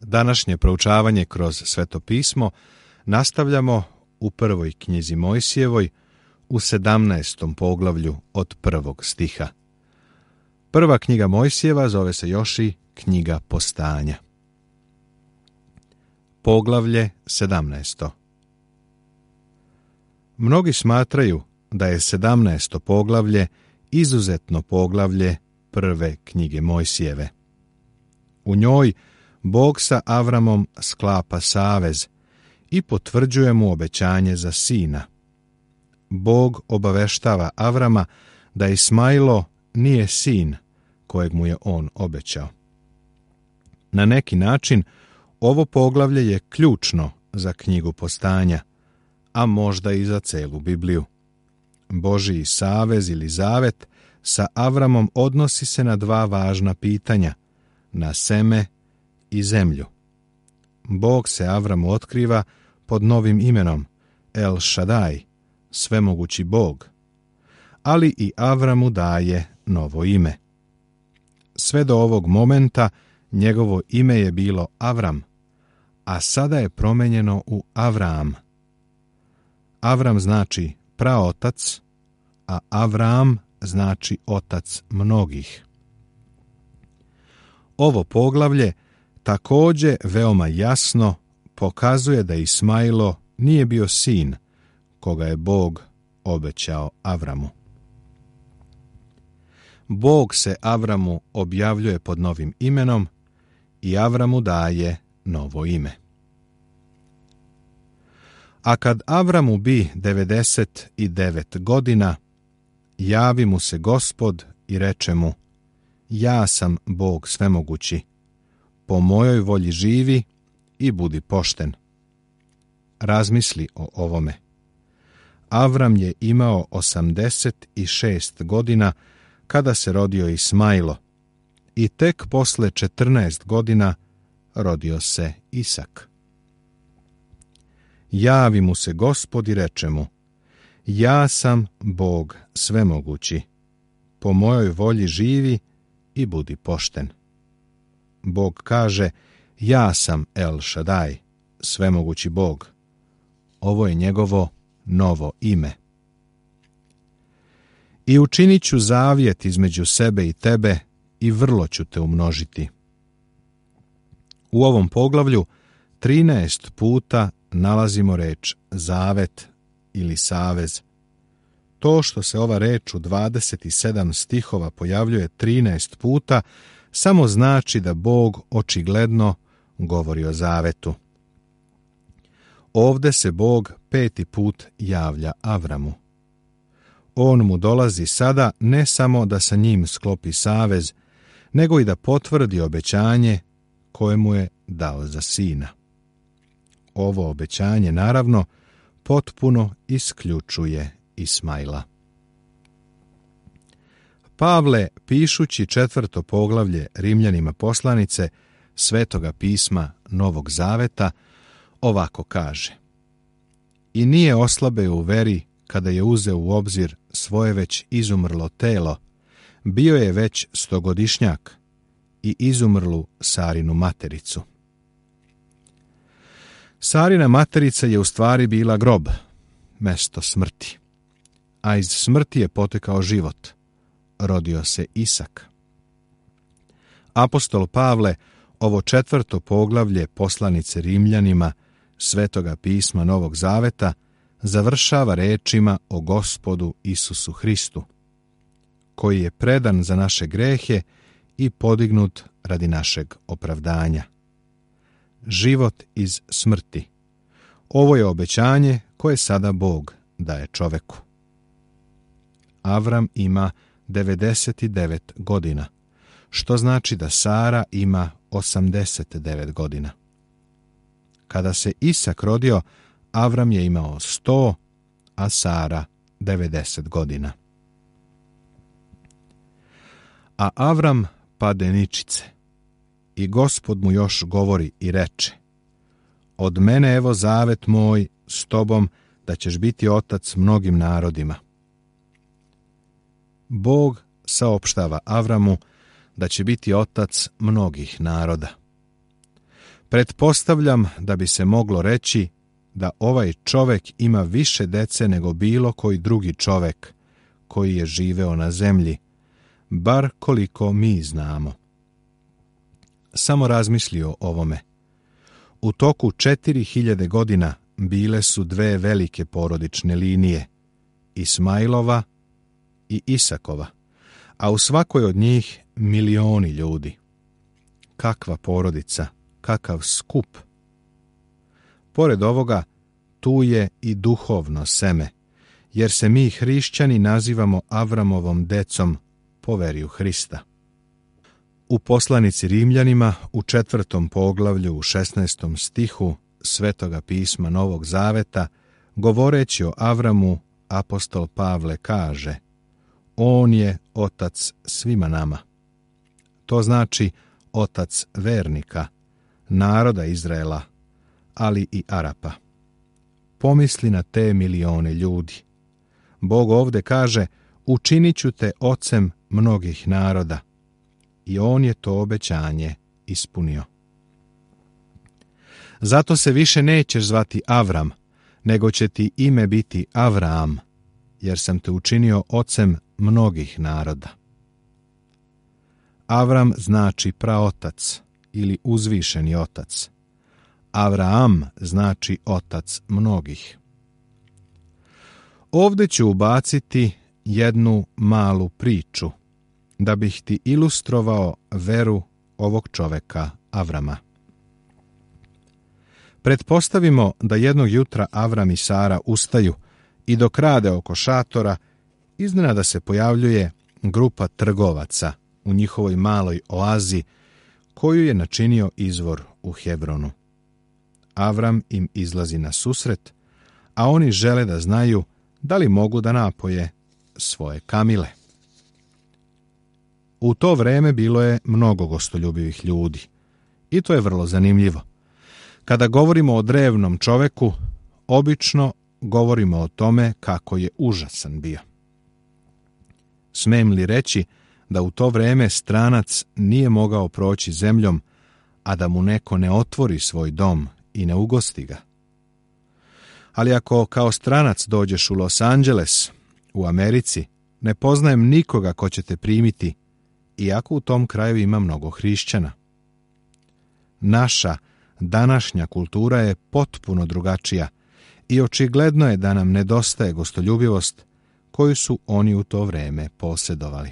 Današnje proučavanje kroz Sveto pismo nastavljamo u prvoj knjizi Mojsijevoj u 17. poglavlju od 1. stiha. Prva knjiga Mojsijeva zove se još i knjiga Postanja. Poglavlje 17. Mnogi smatraju da je 17. poglavlje izuzetno poglavlje prve knjige Mojsijeve. U njoj Bog sa Avramom sklapa savez i potvrđuje mu obećanje za sina. Bog obaveštava Avrama da Ismailo nije sin kojeg mu je on obećao. Na neki način ovo poglavlje je ključno za knjigu Postanja, a možda i za celu Bibliju. Božji savez ili zavet sa Avramom odnosi se na dva važna pitanja, na seme i zemlju. Bog se Avramu otkriva pod novim imenom El Šadaj, svemogući Bog, ali i Avramu daje novo ime. Sve do ovog momenta njegovo ime je bilo Avram, a sada je promenjeno u Avram. Avram znači praotac, a Avram znači otac mnogih. Ovo poglavlje također veoma jasno pokazuje da Ismailo nije bio sin koga je Bog obećao Avramu. Bog se Avramu objavljuje pod novim imenom i Avramu daje novo ime. A kad Avramu bi 99 godina, javi mu se Gospod i reče mu: Ja sam Bog svemogući, po mojoj volji živi i budi pošten. Razmisli o ovome. Avram je imao 86 godina kada se rodio Ismailo i tek posle 14 godina rodio se Isak. Javi mu se Gospod i reče mu: Ja sam Bog svemogući, po mojoj volji živi i budi pošten. Bog kaže: Ja sam El Šadaj, svemogući Bog. Ovo je njegovo novo ime. I učinit ću zavjet između sebe i tebe i vrlo ću te umnožiti. U ovom poglavlju 13 puta nalazimo reč zavet ili savez. To što se ova reč u 27 stihova pojavljuje 13 puta samo znači da Bog očigledno govori o zavetu. Ovde se Bog 5. put javlja Avramu. On mu dolazi sada ne samo da sa njim sklopi savez, nego i da potvrdi obećanje koje mu je dao za sina. Ovo obećanje, naravno, potpuno isključuje Ismaila. Pavle, pišući 4. poglavlje Rimljanima poslanice Svetoga pisma Novog Zaveta, ovako kaže: I nije oslabeo u veri kada je uzeo u obzir svoje već izumrlo telo, bio je već 100-godišnjak i izumrlu Sarinu matericu. Sarina materica je u stvari bila grob, mesto smrti, a iz smrti je potekao život. Rodio se Isak. Apostol Pavle ovo 4. poglavlje poslanice Rimljanima Svetoga pisma Novog Zaveta završava rečima o Gospodu Isusu Hristu, koji je predan za naše grehe i podignut radi našeg opravdanja. Život iz smrti. Ovo je obećanje koje sada Bog daje čoveku. Avram ima 99 godina, što znači da Sara ima 89 godina. Kada se Isak rodio, Avram je imao 100, a Sara 90 godina. A Avram pade ničice i Gospod mu još govori i reče: Od mene evo zavet moj s tobom da ćeš biti otac mnogim narodima. Bog saopštava Avramu da će biti otac mnogih naroda. Pretpostavljam da bi se moglo reći da ovaj čovek ima više dece nego bilo koji drugi čovek koji je živeo na zemlji, bar koliko mi znamo. Samo razmisli o ovome. U toku 4000 godina bile su dve velike porodične linije, Ismailova i Isakova, a u svakoj od njih milioni ljudi. Kakva porodica, kakav skup! Pored ovoga, tu je i duhovno seme, jer se mi hrišćani nazivamo Avramovom decom po veri u Hrista. U poslanici Rimljanima u 4. poglavlju u 16. stihu Svetoga pisma Novog Zaveta, govoreći o Avramu, apostol Pavle kaže: On je otac svima nama. To znači otac vernika, naroda Izraela, ali i Arapa. Pomisli na te milione ljudi. Bog ovde kaže: učinit ću te ocem mnogih naroda. I on je to obećanje ispunio. Zato se više nećeš zvati Avram, nego će ti ime biti Avraam, jer sam te učinio ocem mnogih naroda. Avram znači praotac ili uzvišeni otac. Avraam znači otac mnogih. Ovde ću ubaciti jednu malu priču, da bih ti ilustrovao veru ovog čoveka Avrama. Pretpostavimo da jednog jutra Avram i Sara ustaju i dok rade oko šatora, iznenada se pojavljuje grupa trgovaca u njihovoj maloj oazi koju je načinio izvor u Hebronu. Avram im izlazi na susret, a oni žele da znaju da li mogu da napoje svoje kamile. U to vreme bilo je mnogo gostoljubivih ljudi i to je vrlo zanimljivo. Kada govorimo o drevnom čoveku, obično govorimo o tome kako je užasan bio. Smem li reći da u to vreme stranac nije mogao proći zemljom, a da mu neko ne otvori svoj dom i ne ugosti ga? Ali ako kao stranac dođeš u Los Angeles, u Americi, ne poznajem nikoga ko će te primiti, iako u tom kraju ima mnogo hrišćana. Naša današnja kultura je potpuno drugačija i očigledno je da nam nedostaje gostoljubivost koju su oni u to vreme posjedovali.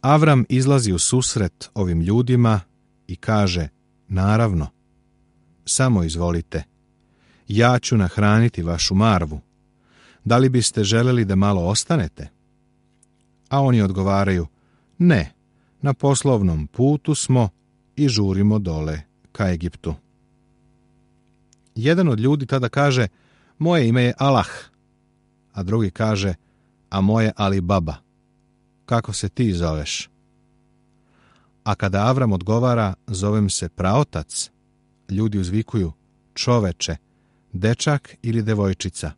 Avram izlazi u susret ovim ljudima i kaže: naravno, samo izvolite, ja ću nahraniti vašu marvu. Da li biste želeli da malo ostanete? A oni odgovaraju: ne, na poslovnom putu smo i žurimo dole ka Egiptu. Jedan od ljudi tada kaže: moje ime je Allah, a drugi kaže: a moje Ali Baba. Kako se ti zoveš? A kada Avram odgovara: zovem se praotac, ljudi uzvikuju: čoveče, dečak ili devojčica?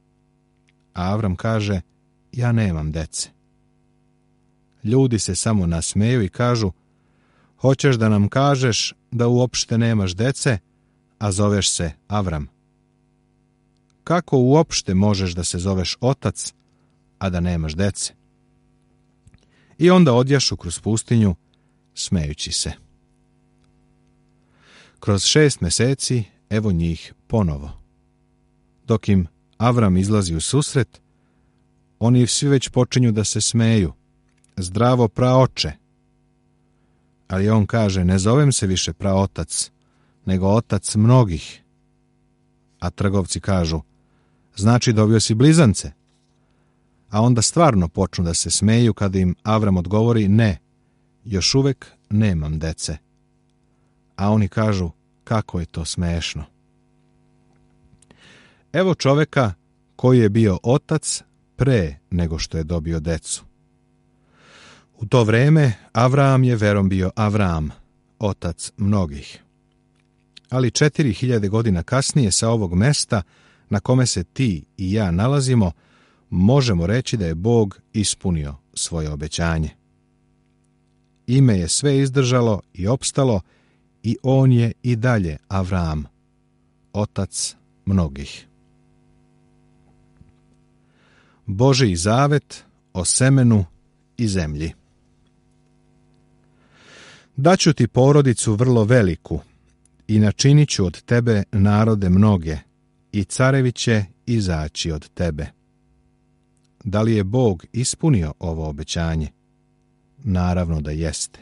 A Avram kaže: ja nemam dece. Ljudi se samo nasmeju i kažu: hoćeš da nam kažeš da uopšte nemaš dece, a zoveš se Avram? Kako uopšte možeš da se zoveš otac, a da nemaš dece? I onda odjašu kroz pustinju, smejući se. Kroz 6 meseci, evo njih ponovo. Dok im Avram izlazi u susret, oni svi već počinju da se smeju. Zdravo, praoče. Ali on kaže: ne zovem se više praotac, nego otac mnogih. A trgovci kažu: znači dobio si blizance? A onda stvarno počnu da se smeju kada im Avram odgovori: ne, još uvek nemam dece. A oni kažu: kako je to smešno. Evo čoveka koji je bio otac pre nego što je dobio decu. U to vreme Avram je verom bio Avram, otac mnogih. Ali 4000 godina kasnije sa ovog mesta na kome se ti i ja nalazimo, možemo reći da je Bog ispunio svoje obećanje. Ime je sve izdržalo i opstalo i on je i dalje Avram, otac mnogih. Božji zavet o semenu i zemlji. Daću ti porodicu vrlo veliku i načinit ću od tebe narode mnoge i carevi će izaći od tebe. Da li je Bog ispunio ovo obećanje? Naravno da jeste.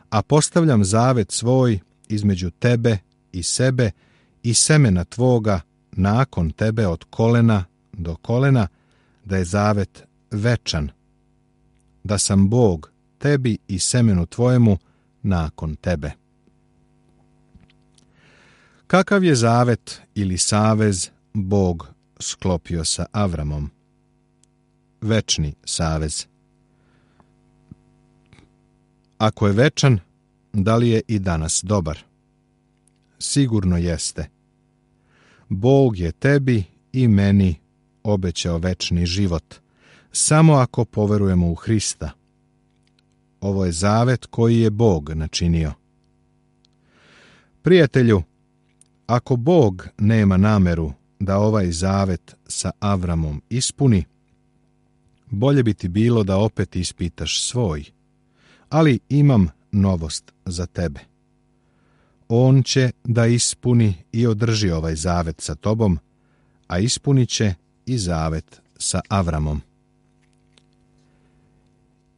A postavljam zavet svoj između tebe i sebe i semena tvoga nakon tebe od kolena do kolena, da je zavet večan, da sam Bog tebi i semenu tvojemu nakon tebe. Kakav je zavet ili savez Bog sklopio sa Avramom? Večni savez. Ako je večan, da li je i danas dobar? Sigurno jeste. Bog je tebi i meni obećao večni život, samo ako poverujemo u Hrista. Ovo je zavet koji je Bog načinio. Prijatelju, ako Bog nema nameru da ovaj zavet sa Avramom ispuni, bolje bi ti bilo da opet ispitaš svoj, ali imam novost za tebe. On će da ispuni i održi ovaj zavet sa tobom, a ispunit će i zavet sa Avramom.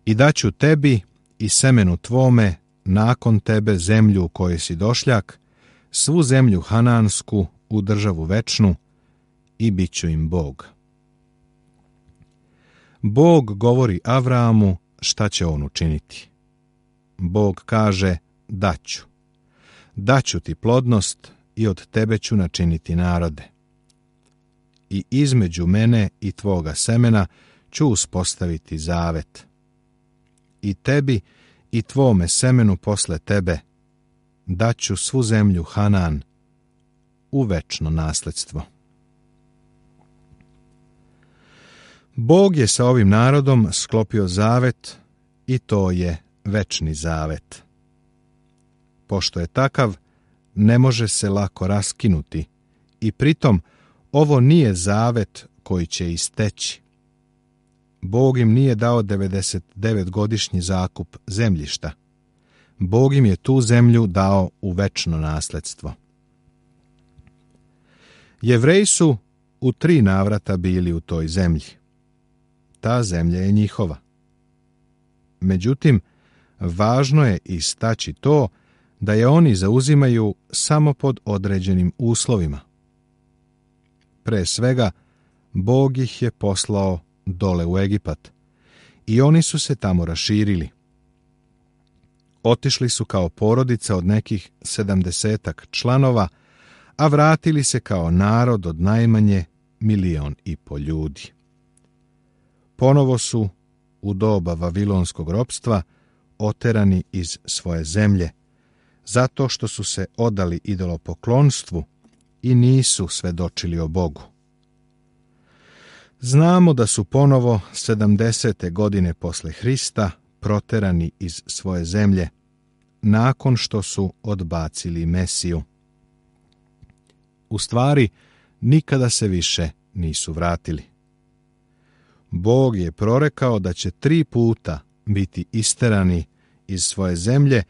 I daću tebi i semenu tvome nakon tebe zemlju u kojoj si došljak, svu zemlju hanansku u državu večnu, i bit ću im Bog. Bog govori Avramu šta će on učiniti. Bog kaže, daću. Daću ti plodnost i od tebe ću načiniti narode. I između mene i tvoga semena ću uspostaviti zavet. I tebi i tvome semenu posle tebe daću svu zemlju Hanan u večno nasledstvo. Bog je sa ovim narodom sklopio zavet i to je večni zavet. Pošto je takav, ne može se lako raskinuti i pritom ovo nije zavet koji će isteći. Bog im nije dao 99-godišnji zakup zemljišta. Bog im je tu zemlju dao u večno nasledstvo. Jevreji su u 3 navrata bili u toj zemlji. Ta zemlja je njihova. Međutim, važno je istaći to da je oni zauzimaju samo pod određenim uslovima. Pre svega, Bog ih je poslao dole u Egipat i oni su se tamo raširili. Otišli su kao porodica od nekih 70 članova, a vratili se kao narod od najmanje 1,5 miliona ljudi. Ponovo su u doba vavilonskog ropstva oterani iz svoje zemlje, zato što su se odali idolopoklonstvu i nisu svedočili o Bogu. Znamo da su ponovo 70. godine posle Hrista proterani iz svoje zemlje, nakon što su odbacili Mesiju. U stvari, nikada se više nisu vratili. Bog je prorekao da će 3 puta biti isterani iz svoje zemlje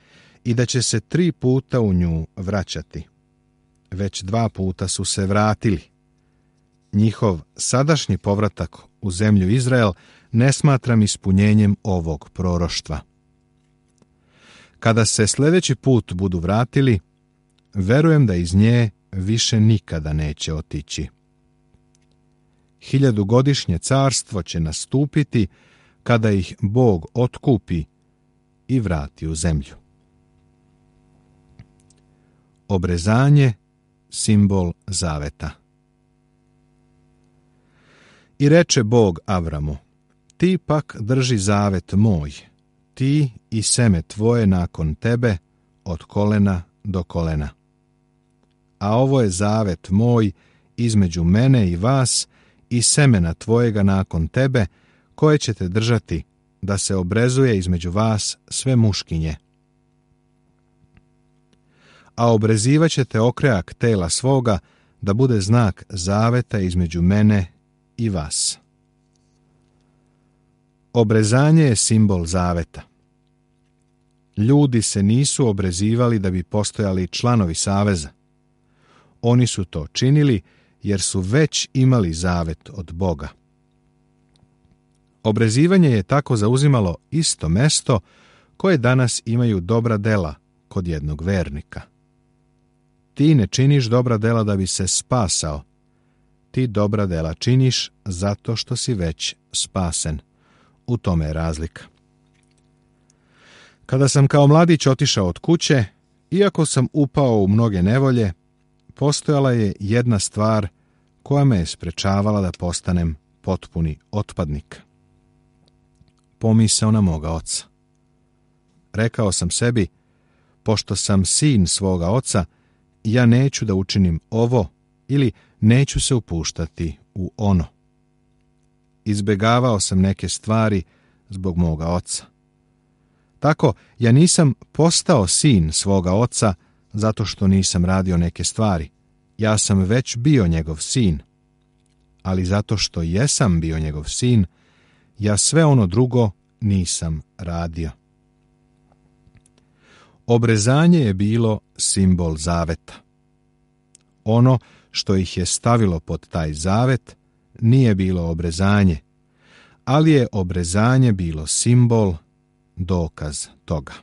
i da će se 3 puta u nju vraćati. Već 2 puta su se vratili. Njihov sadašnji povratak u zemlju Izrael ne smatram ispunjenjem ovog proroštva. Kada se sljedeći put budu vratili, verujem da iz nje više nikada neće otići. 1000-godišnje carstvo će nastupiti kada ih Bog otkupi i vrati u zemlju. Obrezanje, simbol zaveta. I reče Bog Avramu, ti pak drži zavet moj, ti i seme tvoje nakon tebe od kolena do kolena. A ovo je zavet moj između mene i vas i semena tvojega nakon tebe, koje ćete držati, da se obrezuje između vas sve muškinje. a obrezivaćete okrajak tela svoga da bude znak zaveta između mene i vas. Obrezanje je simbol zaveta. Ljudi se nisu obrezivali da bi postojali članovi saveza. Oni su to činili jer su već imali zavet od Boga. Obrezivanje je tako zauzimalo isto mesto koje danas imaju dobra dela kod jednog vernika. Ti ne činiš dobra dela da bi se spasao. Ti dobra dela činiš zato što si već spasen. U tome je razlika. Kada sam kao mladić otišao od kuće, iako sam upao u mnoge nevolje, postojala je jedna stvar koja me je sprečavala da postanem potpuni otpadnik. Pomisao na moga oca. Rekao sam sebi, pošto sam sin svoga oca, ja neću da učinim ovo ili neću se upuštati u ono. Izbegavao sam neke stvari zbog moga oca. Tako, ja nisam postao sin svoga oca zato što nisam radio neke stvari. Ja sam već bio njegov sin. Ali zato što jesam bio njegov sin, ja sve ono drugo nisam radio. Obrezanje je bilo simbol zaveta. Ono što ih je stavilo pod taj zavet nije bilo obrezanje, ali je obrezanje bilo simbol, dokaz toga.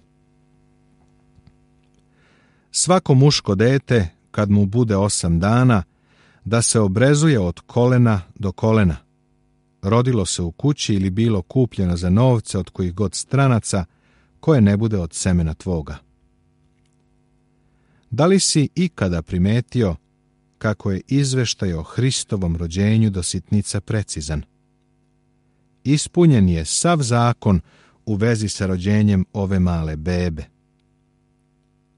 Svako muško dete, kad mu bude 8 dana, da se obrezuje od kolena do kolena. Rodilo se u kući ili bilo kupljeno za novce od kojih god stranaca, koje ne bude od semena tvoga. Da li si ikada primetio kako je izveštaj o Hristovom rođenju do sitnica precizan? Ispunjen je sav zakon u vezi sa rođenjem ove male bebe.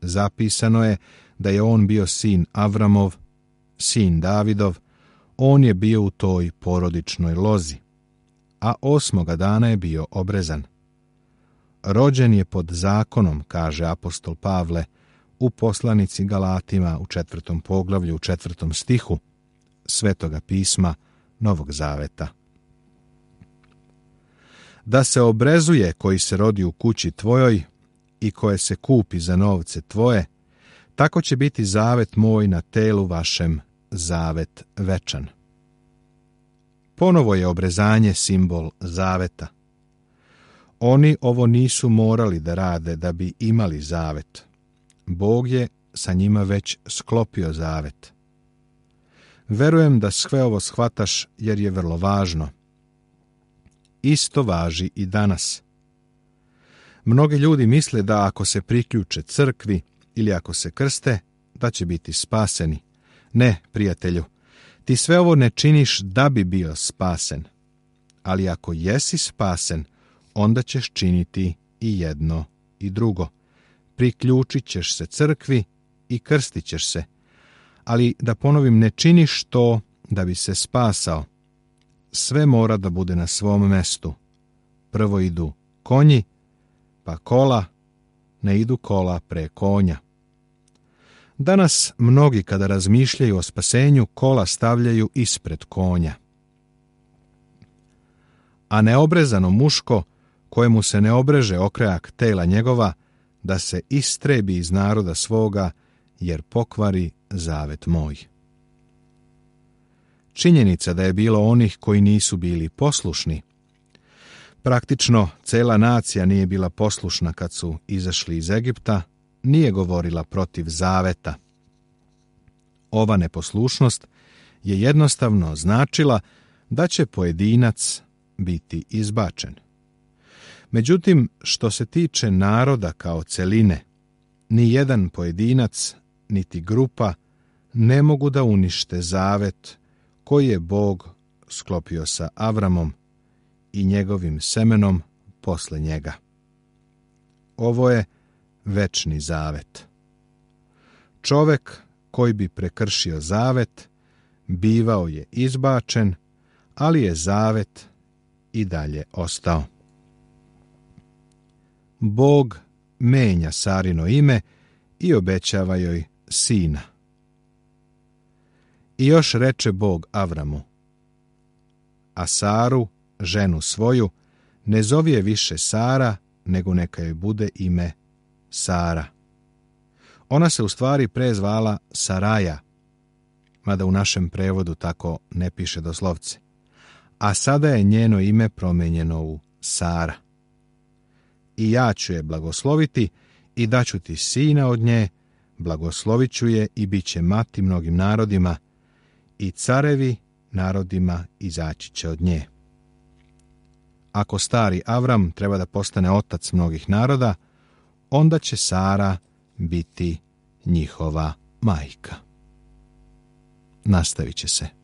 Zapisano je da je on bio sin Avramov, sin Davidov, on je bio u toj porodičnoj lozi, a 8. dana je bio obrezan. Rođen je pod zakonom, kaže apostol Pavle, u poslanici Galatima u 4. poglavlju u 4. stihu Svetoga pisma Novog Zaveta. Da se obrezuje koji se rodi u kući tvojoj i koje se kupi za novce tvoje, tako će biti zavet moj na telu vašem, zavet večan. Ponovo je obrezanje simbol zaveta. Oni ovo nisu morali da rade da bi imali zavet. Bog je sa njima već sklopio zavet. Verujem da sve ovo shvataš jer je vrlo važno. Isto važi i danas. Mnogi ljudi misle da ako se priključe crkvi ili ako se krste, da će biti spaseni. Ne, prijatelju, ti sve ovo ne činiš da bi bio spasen. Ali ako jesi spasen, onda ćeš činiti i jedno i drugo. Priključit ćeš se crkvi i krstit ćeš se. Ali da ponovim, ne činiš to da bi se spasao. Sve mora da bude na svom mestu. Prvo idu konji, pa kola, ne idu kola pre konja. Danas mnogi kada razmišljaju o spasenju, kola stavljaju ispred konja. A neobrezano muško, kojemu se ne obreže okrajak tela njegova, da se istrebi iz naroda svoga, jer pokvari zavet moj. Činjenica da je bilo onih koji nisu bili poslušni. Praktično, cela nacija nije bila poslušna kad su izašli iz Egipta, nije govorila protiv zaveta. Ova neposlušnost je jednostavno značila da će pojedinac biti izbačen. Međutim, što se tiče naroda kao celine, ni jedan pojedinac, niti grupa ne mogu da unište zavet koji je Bog sklopio sa Avramom i njegovim semenom posle njega. Ovo je večni zavet. Čovek koji bi prekršio zavet bivao je izbačen, ali je zavet i dalje ostao. Bog menja Sarino ime i obećava joj sina. I još reče Bog Avramu: a Saru, ženu svoju, ne zovi je više Sara, nego neka joj bude ime Sara. Ona se u stvari prezvala Saraja, mada u našem prevodu tako ne piše doslovce, a sada je njeno ime promijenjeno u Sara. I ja ću je blagosloviti i daću ti sina od nje, blagoslovit ću je i bit će mati mnogim narodima, i carevi narodima izaći će od nje. Ako stari Avram treba da postane otac mnogih naroda, onda će Sara biti njihova majka. Nastavit će se.